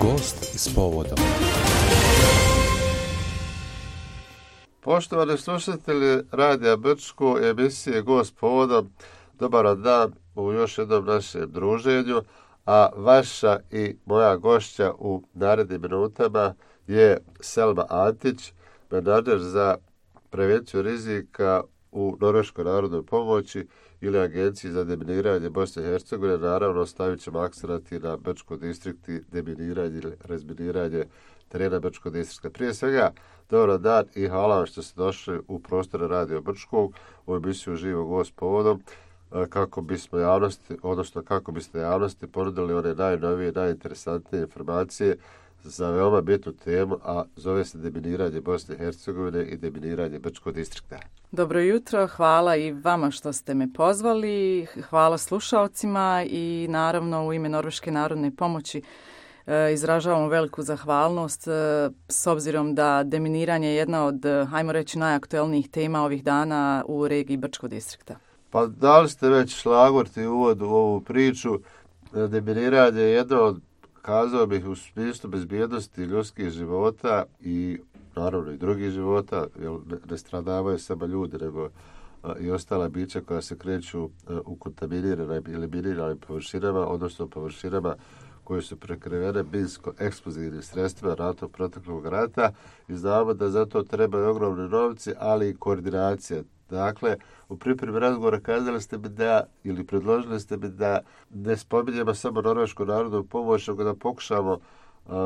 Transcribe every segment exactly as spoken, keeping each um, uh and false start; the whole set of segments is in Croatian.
Gost s povodom. Poštovani slušatelji Radija Brčko, emisije Gost s povodom, dobar dan u još jednom našem druženju, a vaša i moja gošća u narednim minutama je Selma Antić, menadžer za prevenciju rizika u Norveškoj narodnoj pomoći ili Agenciji za deminiranje Bosne i Hercegovine. Naravno, stavit ćemo akcenat i na Brčko distrikti, deminiranje ili razminiranje terena Brčko distrikta. Prije svega, dobar dan i hvala vam što ste došli u prostore Radio Brčkog, u emisiju Živo Gost povodom, kako bismo javnosti, odnosno kako biste javnosti ponudili one najnovije, najinteresantnije informacije za veoma bitnu temu, a zove se deminiranje Bosne i Hercegovine i deminiranje Brčkog distrikta. Dobro jutro, hvala i vama što ste me pozvali, hvala slušalcima i naravno u ime Norveške narodne pomoći e, izražavamo veliku zahvalnost e, s obzirom da deminiranje je jedna od, hajmo reći, najaktuelnijih tema ovih dana u regiji Brčkog distrikta. Pa da li ste već šlagvorti uvod u ovu priču? Deminiranje je jedno od, kazao bih, u smislu bezbjednosti ljudskih života i naravno i drugih života, jer ne stradavaju samo ljudi, nego a, i ostala bića koja se kreću a, u kontaminiranim ili miniranim površinama, odnosno površinama koje su prekrivene minsko-eksplozivnim sredstvima NATO proteklog rata, i znamo da za to trebaju ogromni novci, ali i koordinacija. Dakle, u pripremi razgovora kazali ste mi da, ili predložili ste mi da ne spominjemo samo Norvešku narodnu pomoć, nego da pokušamo uh,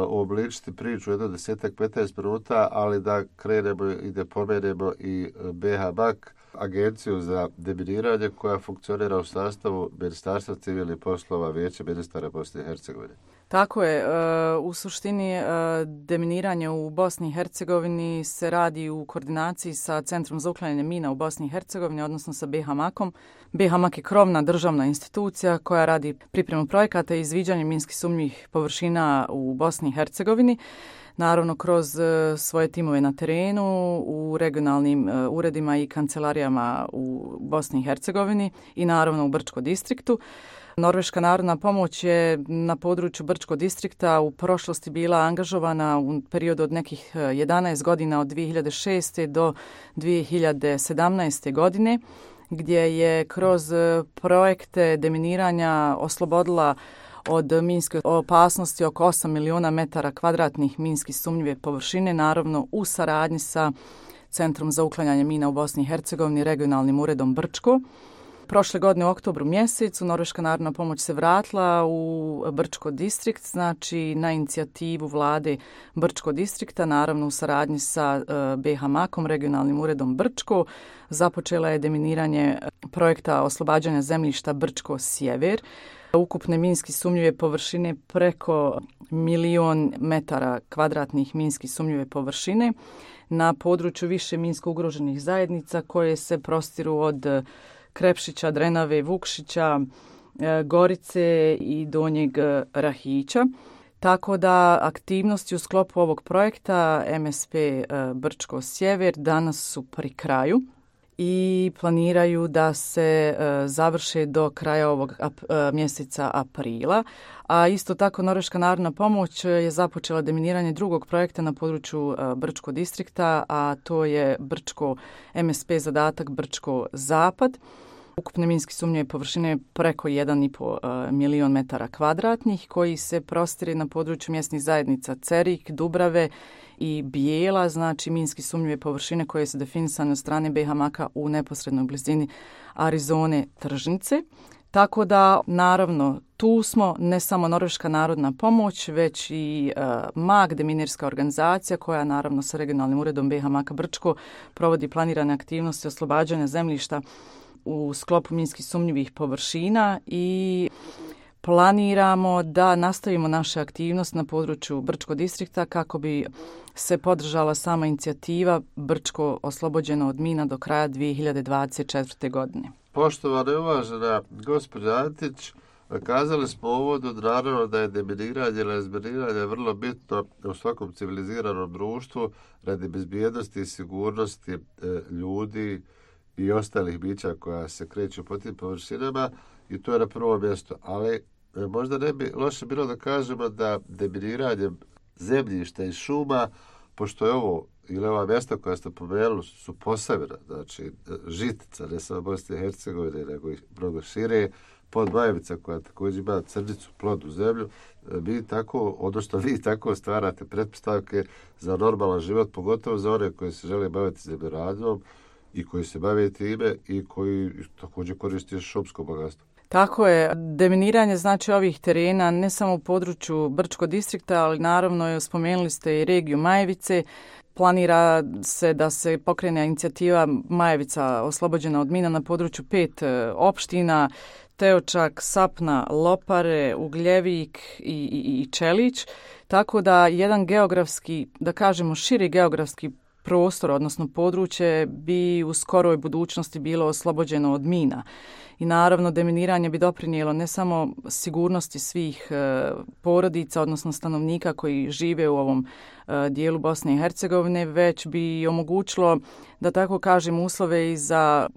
uobličiti priču jedno desetak, petnaest minuta, ali da krenemo i da pomenemo i B H M A K, Agenciju za deminiranje koja funkcionira u sastavu Ministarstva civilnih poslova Vijeća ministara Bosne i Hercegovine. Tako je. U suštini deminiranje u Bosni i Hercegovini se radi u koordinaciji sa Centrom za uklanjanje mina u Bosni i Hercegovini, odnosno sa B H M A K-om. B H M A K je krovna državna institucija koja radi pripremu projekata i izviđanje minski sumnjivih površina u Bosni i Hercegovini. Naravno, kroz svoje timove na terenu, u regionalnim uredima i kancelarijama u Bosni i Hercegovini i naravno u Brčkom distriktu. Norveška narodna pomoć je na području Brčkog distrikta u prošlosti bila angažovana u periodu od nekih jedanaest godina, od dvije hiljade šeste do dvije hiljade sedamnaeste godine, gdje je kroz projekte deminiranja oslobodila od minske opasnosti oko osam miliona metara kvadratnih minski sumnjive površine, naravno u saradnji sa Centrom za uklanjanje mina u Bosni i Hercegovini, regionalnim uredom Brčko. Prošle godine u oktobru mjesecu Norveška narodna pomoć se vratila u Brčko distrikt, znači na inicijativu vlade Brčko distrikta, naravno u saradnji sa B H M A K-om, regionalnim uredom Brčko. Započela je deminiranje projekta oslobađanja zemljišta Brčko sjever. Ukupne minski sumnjive površine preko milion metara kvadratnih minski sumnjive površine na području više minsko ugroženih zajednica koje se prostiru od Krepšića, Drenave, Vukšića, Gorice i Donjeg Rahića. Tako da aktivnosti u sklopu ovog projekta M S P Brčko sjever danas su pri kraju i planiraju da se završe do kraja ovog mjeseca aprila. A isto tako Norveška narodna pomoć je započela deminiranje drugog projekta na području Brčkog distrikta, a to je Brčko M S P zadatak Brčko zapad. Ukupne minski sumnjive površine preko jedan i pol milion metara kvadratnih koji se prostire na području mjesnih zajednica Cerik, Dubrave i Bijela, znači minski sumnjive površine koje su definisane od strane B H M A K-a u neposrednoj blizini Arizone Tržnice. Tako da, naravno, tu smo ne samo Norveška narodna pomoć, već i uh, M A K, deminirska organizacija koja naravno sa regionalnim uredom B H M A K-a Brčko provodi planirane aktivnosti oslobađanja zemljišta u sklopu minski sumnjivih površina i planiramo da nastavimo naše aktivnosti na području Brčkog distrikta kako bi se podržala sama inicijativa Brčko oslobođeno od mina do kraja dvije hiljade dvadeset četvrte. godine. Poštovana i uvažena gospođa Antić, kazali smo u uvodu naravno da je deminiranje ili razminiranje vrlo bitno u svakom civiliziranom društvu radi bezbjednosti i sigurnosti e, ljudi i ostalih bića koja se kreću po tim površinama, i to je na prvo mjesto. Ali možda ne bi loše bilo da kažemo da deminiranje zemljišta i šuma, pošto je ovo ili ova mjesta koja ste pomenuli su Posavina, znači Žitica, ne samo Bosne i Hercegovine, nego i mnogo šire, Podmajevica koja također ima crnicu, plodnu zemlju, mi tako, odnosno vi tako stvarate pretpostavke za normalan život, pogotovo za one koji se žele baviti zemljoradnjom i koji se bave time i koji također koriste šumsko bogatstvo. Tako je, deminiranje znači ovih terena ne samo u području Brčkog distrikta, ali naravno spomenuli ste i regiju Majevice. Planira se da se pokrene inicijativa Majevica oslobođena od mina na području pet opština, Teočak, Sapna, Lopare, Ugljevik i, i, i Čelić. Tako da jedan geografski, da kažemo širi geografski prostor, odnosno područje, bi u skoroj budućnosti bilo oslobođeno od mina. I naravno deminiranje bi doprinijelo ne samo sigurnosti svih e, porodica, odnosno stanovnika koji žive u ovom e, dijelu Bosne i Hercegovine, već bi omogućilo, da tako kažem, uslove i za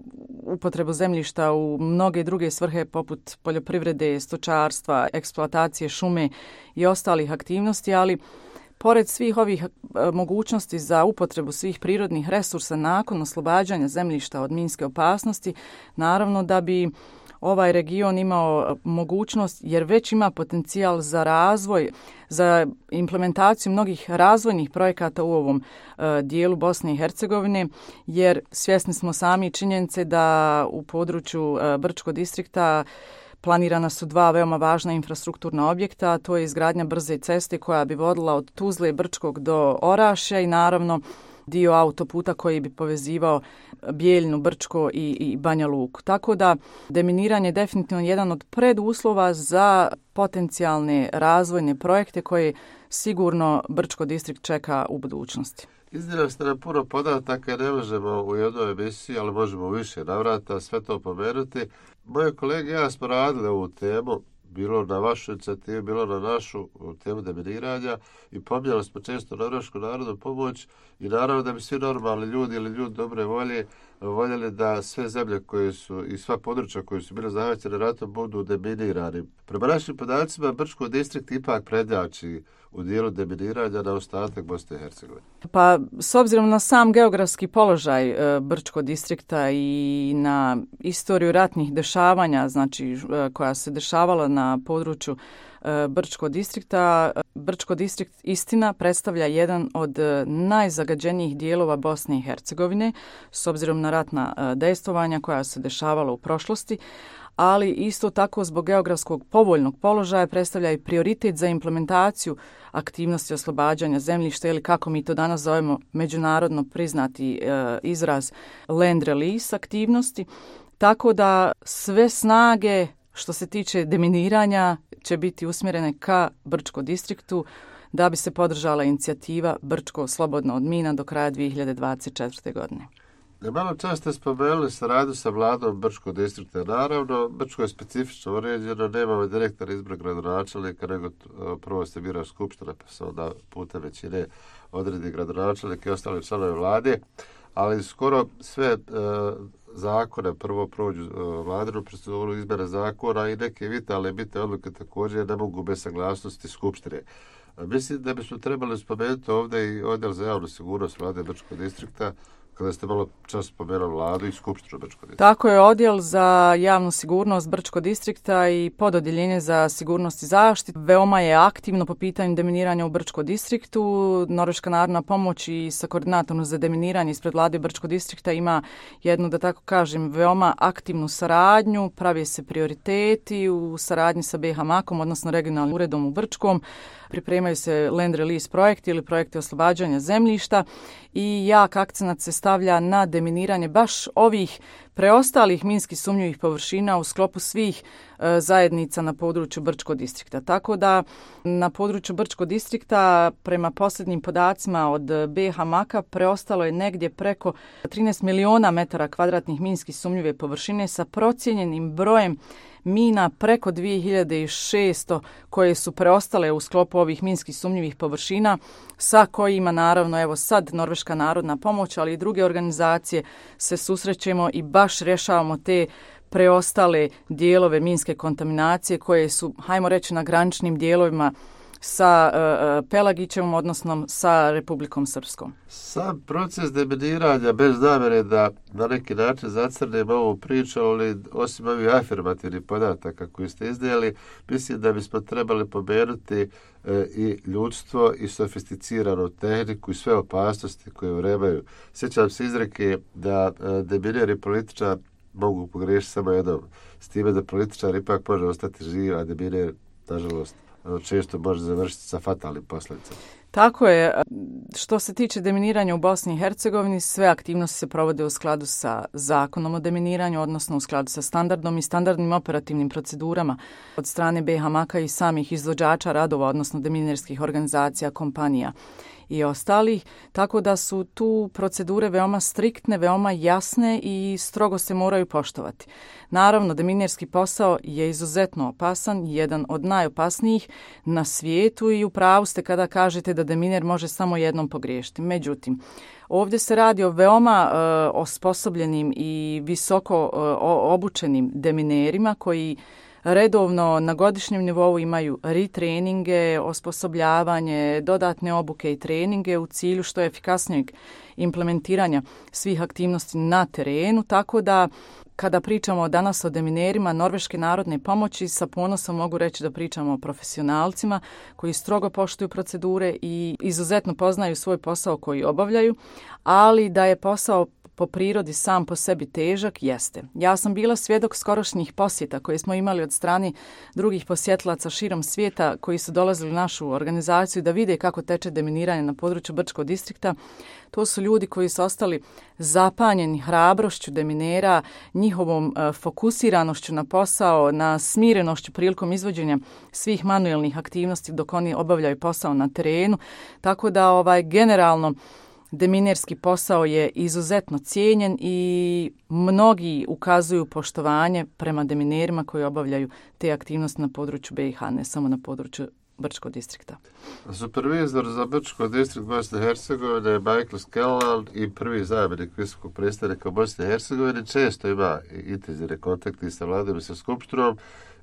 upotrebu zemljišta u mnoge druge svrhe poput poljoprivrede, stočarstva, eksploatacije šume i ostalih aktivnosti, ali pored svih ovih mogućnosti za upotrebu svih prirodnih resursa nakon oslobađanja zemljišta od minske opasnosti, naravno da bi ovaj region imao mogućnost, jer već ima potencijal za razvoj, za implementaciju mnogih razvojnih projekata u ovom e, dijelu Bosne i Hercegovine, jer svjesni smo sami činjenice da u području e, Brčkog distrikta planirana su dva veoma važna infrastrukturna objekta, to je izgradnja brze ceste koja bi vodila od Tuzle, Brčkog do Orašja i naravno dio autoputa koji bi povezivao Bijeljinu, Brčko i, i Banja Luku. Tako da deminiranje je definitivno jedan od preduslova za potencijalne razvojne projekte koje sigurno Brčko distrikt čeka u budućnosti. Iznijeli ste nam puno podataka, ne možemo u jednoj emisiji, ali možemo u više navrata sve to pomenuti. Moje kolege i ja smo radili ovu temu, bilo na vašu inicijativu, bilo na našu temu deminiranja i pomijali smo često Norvešku narodnu pomoć i naravno da bi svi normalni ljudi ili ljudi dobre volje voljeli da sve zemlje koje su i sva područja koje su bile zahvaćene ratom budu deminirani. Prema našim podacima Brčko distrikt ipak prednjači u dijelu deminiranja na ostatak Bosne i Hercegovine. Pa s obzirom na sam geografski položaj e, Brčkog distrikta i na istoriju ratnih dešavanja, znači e, koja se dešavala na području e, Brčkog distrikta, Brčko distrikt istina predstavlja jedan od najzagađenijih dijelova Bosne i Hercegovine s obzirom na ratna e, dejstvovanja koja se dešavala u prošlosti, ali isto tako zbog geografskog povoljnog položaja predstavlja i prioritet za implementaciju aktivnosti oslobađanja zemljišta ili kako mi to danas zovemo međunarodno priznati e, izraz land release aktivnosti. Tako da sve snage što se tiče deminiranja će biti usmjerene ka Brčko distriktu da bi se podržala inicijativa Brčko slobodno od mina do kraja dvije hiljade dvadeset četvrte. godine. Malo čas ste spomenuli saradnju sa vladom Brčkog distrikta. Naravno, Brčko je specifično uređeno, nemamo direktor izbor gradonačelnika, nego prvo se bira skupština, pa se onda putem većine odredi gradonačelnik i ostali članovi vlade, ali skoro sve e, zakone prvo prođu e, vladinu proceduru izmjene zakona i neke vitalne bitne odluke također ne mogu bez saglasnosti skupštine. Mislim da bismo trebali spomenuti ovdje i odjel za javnu sigurnost vlade Brčkog distrikta, kada ste malo čas spomenuli vladu i skupštinu Brčkog distrikta. Tako je, odjel za javnu sigurnost Brčkog distrikta i pododjeljenje za sigurnost i zaštitu veoma je aktivno po pitanju deminiranja u Brčkom distriktu. Norveška narodna pomoć i sa koordinatorom za deminiranje ispred vlade Brčkog distrikta ima jednu, da tako kažem, veoma aktivnu saradnju, pravi se prioriteti u saradnji sa B H Makom, odnosno regionalnim uredom u Brčkom. Pripremaju se land release projekti ili projekti oslobađanja zemljišta i jak akcenat se stavlja na deminiranje baš ovih preostalih minski sumnjivih površina u sklopu svih e, zajednica na području Brčkog distrikta. Tako da na području Brčkog distrikta prema posljednjim podacima od B H Maka preostalo je negdje preko trinaest miliona metara kvadratnih minski sumnjive površine sa procijenjenim brojem mina preko dvije hiljade šesto koje su preostale u sklopu ovih minskih sumnjivih površina sa kojima naravno evo sad Norveška narodna pomoć, ali i druge organizacije se susrećemo i baš rješavamo te preostale dijelove minske kontaminacije koje su, hajmo reći, na graničnim dijelovima sa uh, Pelagićevom, odnosno sa Republikom Srpskom. Sam proces deminiranja, bez namjere da na neki način zacrnem ovu priču, ali osim ovih afirmativnih podataka koji ste iznijeli, mislim da bismo trebali pomenuti e, i ljudstvo i sofisticiranu tehniku i sve opasnosti koje vrebaju. Sjećam se izreke da e, demineri političar mogu pogriješiti samo jednom, s time da političar ipak može ostati živ, a deminer, nažalost, često može završiti sa fatalnim posljedicama. Tako je. Što se tiče deminiranja u Bosni i Hercegovini, sve aktivnosti se provode u skladu sa zakonom o deminiranju, odnosno u skladu sa standardom i standardnim operativnim procedurama od strane B H Maka i samih izvođača radova, odnosno deminirskih organizacija, kompanija i ostalih, tako da su tu procedure veoma striktne, veoma jasne i strogo se moraju poštovati. Naravno, deminirski posao je izuzetno opasan, jedan od najopasnijih na svijetu i u pravu ste kada kažete da deminer može samo jednom pogriješiti. Međutim, ovdje se radi o veoma e, osposobljenim i visoko e, obučenim deminerima koji redovno na godišnjem nivou imaju retreninge, osposobljavanje, dodatne obuke i treninge u cilju što efikasnijeg implementiranja svih aktivnosti na terenu, tako da kada pričamo danas o deminerima Norveške narodne pomoći, sa ponosom mogu reći da pričamo o profesionalcima koji strogo poštuju procedure i izuzetno poznaju svoj posao koji obavljaju, ali da je posao po prirodi sam po sebi težak, jeste. Ja sam bila svjedok skorošnjih posjeta koje smo imali od strane drugih posjetilaca širom svijeta koji su dolazili u našu organizaciju da vide kako teče deminiranje na području Brčkog distrikta. To su ljudi koji su ostali zapanjeni hrabrošću deminera, njihovom e, fokusiranošću na posao, na smirenošću prilikom izvođenja svih manuelnih aktivnosti dok oni obavljaju posao na terenu. Tako da ovaj generalno deminerski posao je izuzetno cijenjen i mnogi ukazuju poštovanje prema deminerima koji obavljaju te aktivnosti na području B i H, ne samo na području Brčkog distrikta. Supervizor za Brčko distrikt Bosne i Hercegovine je Michael Scanlan i prvi zamjenik visokog predstavnika Bosne i Hercegovine. Često ima intenzivne kontakte sa vladom i sa skupštinom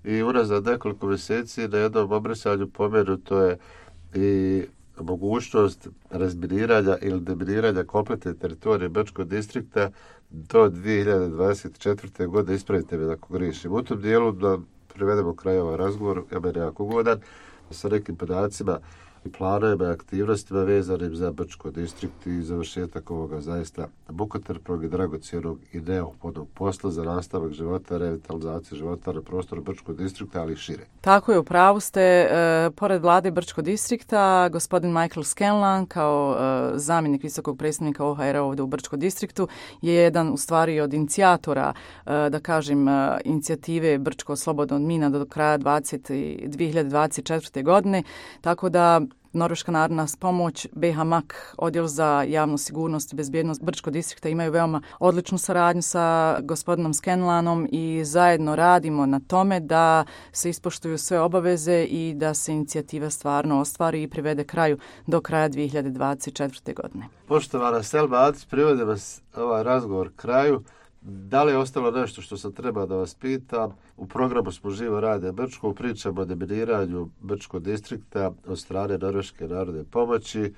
i unazad nekoliko mjeseci na jednom obraćanju pomenuto je i mogućnost razminiranja ili deminiranja kompletne teritorije Brčkog distrikta do dvije hiljade dvadeset četvrte. godine. Ispravite me ako grišim. U tom dijelu da privedemo kraj ovaj razgovor, ja meni jako ugodan, sa nekim podacima i planovima i aktivnostima vezanim za Brčko distrikt i završetak ovoga zaista mukotrpnog i dragocjenog i neophodnog posla za nastavak života, revitalizaciju života na prostoru Brčkog distrikta, ali i šire. Tako je, u pravu ste. E, pored vlade Brčkog distrikta, gospodin Michael Scanlan kao e, zamjenik visokog predstavnika O H R-a ovdje u Brčkom distriktu je jedan u stvari od inicijatora, e, da kažem, e, inicijative Brčko slobodno od mina do kraja dvije hiljade dvadeset četvrte. godine, tako da Norveška narodna pomoć, B H Mak, odjel za javnu sigurnost i bezbjednost Brčkog distrikta imaju veoma odličnu saradnju sa gospodinom Scanlanom i zajedno radimo na tome da se ispoštuju sve obaveze i da se inicijativa stvarno ostvari i privede kraju do kraja dvije hiljade dvadeset četvrte. godine. Poštovana Selma Atić, privode vas ovaj razgovor kraju. Da li je ostalo nešto što sam treba da vas pitam? U programu smo Živo rade Brčko, pričamo o deminiranju Brčkog distrikta od strane Norveške narodne pomoći.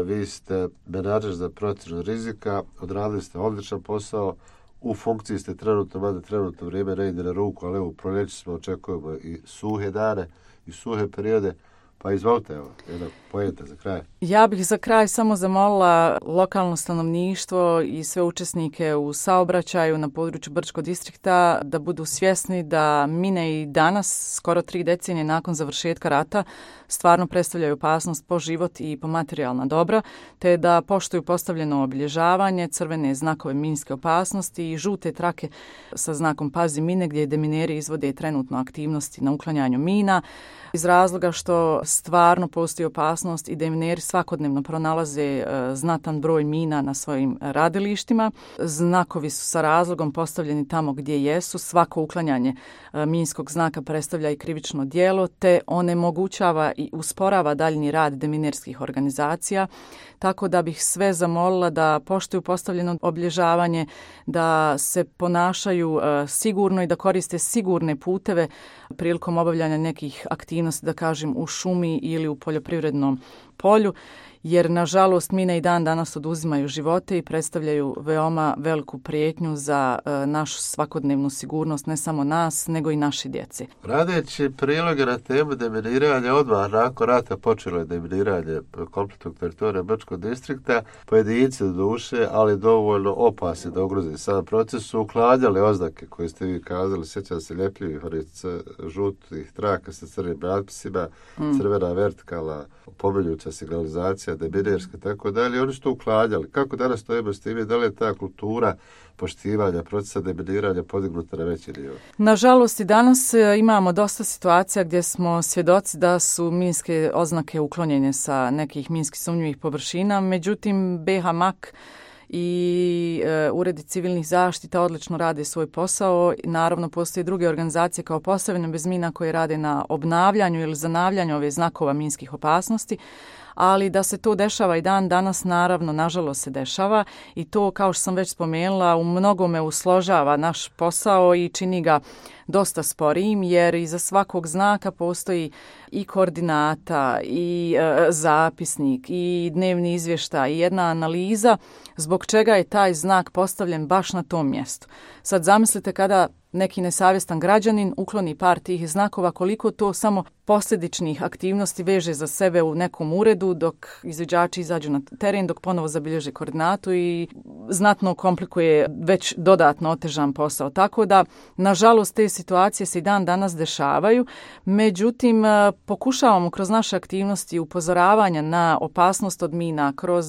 Vi ste menadžer za procjenu rizika, odradili ste odličan posao, u funkciji ste trenutno, mada trenutno vrijeme ne ide na ruku, ali evo u proljeću smo očekujemo i suhe dane i suhe periode. Pa izvolite, evo, jedna pojenta za kraj. Ja bih za kraj samo zamolila lokalno stanovništvo i sve učesnike u saobraćaju na području Brčkog distrikta da budu svjesni da mine i danas, skoro tri decenije nakon završetka rata, stvarno predstavljaju opasnost po život i po materijalna dobra, te da poštuju postavljeno obilježavanje, crvene znakove minske opasnosti i žute trake sa znakom Pazi mine, gdje demineri izvode trenutno aktivnosti na uklanjanju mina. iz razloga što stvarno postoji opasnost i demineri svakodnevno pronalaze e, znatan broj mina na svojim radilištima. Znakovi su sa razlogom postavljeni tamo gdje jesu. Svako uklanjanje e, minskog znaka predstavlja i krivično djelo, te onemogućava i usporava daljnji rad deminerskih organizacija. Tako da bih sve zamolila da poštuju postavljeno obilježavanje, da se ponašaju e, sigurno i da koriste sigurne puteve prilikom obavljanja nekih aktivnosti, da kažem u šumi ili u poljoprivrednom polju, jer nažalost mine i dan danas oduzimaju živote i predstavljaju veoma veliku prijetnju za e, našu svakodnevnu sigurnost, ne samo nas, nego i naše djece. Radeći priloge na temu deminiranja, odmah nakon rata počelo je deminiranje kompletnog teritorija Brčkog distrikta. Pojedinci do duše, ali dovoljno opasni da ugroze sam proces, su uklanjali oznake koje ste vi kazali, sjećam se ljepljivih žutih traka sa crnim natpisima, mm. crvena vertikala, pomeljuća signalizacija, deminerska, tako dalje. Oni su to uklanjali. Kako danas stojimo s time? Da li je ta kultura poštivanja procesa deminiranja podignuta na veći nivo? Nažalost, i danas imamo dosta situacija gdje smo svjedoci da su minske oznake uklonjene sa nekih minski sumnjivih površina. Međutim, B H M A K i e, uredi civilnih zaštita odlično rade svoj posao. Naravno, postoje druge organizacije kao Posavina bez mina koje rade na obnavljanju ili zanavljanju ove znakova minskih opasnosti, ali da se to dešava i dan danas, naravno, nažalost se dešava i to, kao što sam već spomenula, u mnogome usložava naš posao i čini ga dosta sporijim, jer iza svakog znaka postoji i koordinata, i e, zapisnik, i dnevni izvještaj, i jedna analiza zbog čega je taj znak postavljen baš na tom mjestu. Sad zamislite kada neki nesavjestan građanin ukloni par tih znakova, koliko to samo posljedičnih aktivnosti veže za sebe u nekom uredu dok izviđači izađu na teren, dok ponovo zabilježe koordinatu i znatno komplikuje već dodatno otežan posao. Tako da, nažalost, te situacije se i dan danas dešavaju. Međutim, pokušavamo kroz naše aktivnosti upozoravanja na opasnost od mina, kroz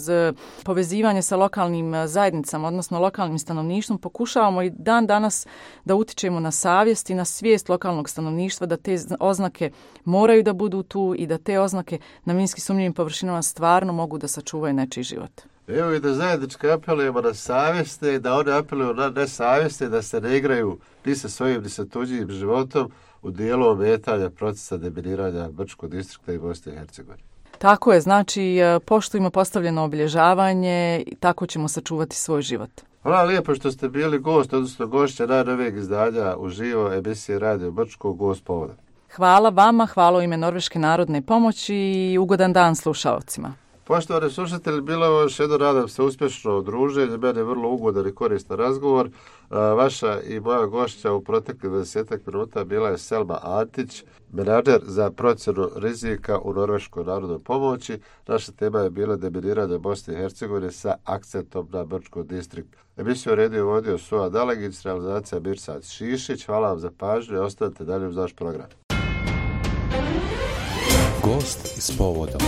povezivanje sa lokalnim zajednicama, odnosno lokalnim stanovništvom, pokušavamo i dan danas da utičemo na savjest i na svijest lokalnog stanovništva da te oznake moraju da budu tu i da te oznake na minski sumnjivim površinama stvarno mogu da sačuvaju nečiji život. Evo i da zajednički apelujemo na savjeste i da one apeluju na nesavjeste, da se ne igraju ni sa svojim ni sa tuđim životom u dijelu ometanja procesa deminiranja Brčkog distrikta i Bosne i Hercegovine. Tako je, znači poštujemo postavljeno obilježavanje i tako ćemo sačuvati svoj život. Hvala lijepo što ste bili gost, odnosno gošća najnovijeg izdanja uživo emisije Radio Brčko, gost povoda. Hvala vama, hvala u ime Norveške narodne pomoći i ugodan dan slušalcima. Poštovani slušatelji, bilo je još jedno, nadam se, uspješno druženje. Meni je vrlo ugodan i koristan razgovor. Vaša i moja gošća u proteklih dvadesetak minuta bila je Selma Antić, menadžer za procjenu rizika u Norveškoj narodnoj pomoći. Naša tema je bila deminiranje Bosne i Hercegovine sa akcentom na Brčko distrikt. Emisiju redio vodio Suad Dalegić, realizacija Mirsad Šišić. Hvala vam za pažnju i ostanite dalje uz naš program. Gost s povodom.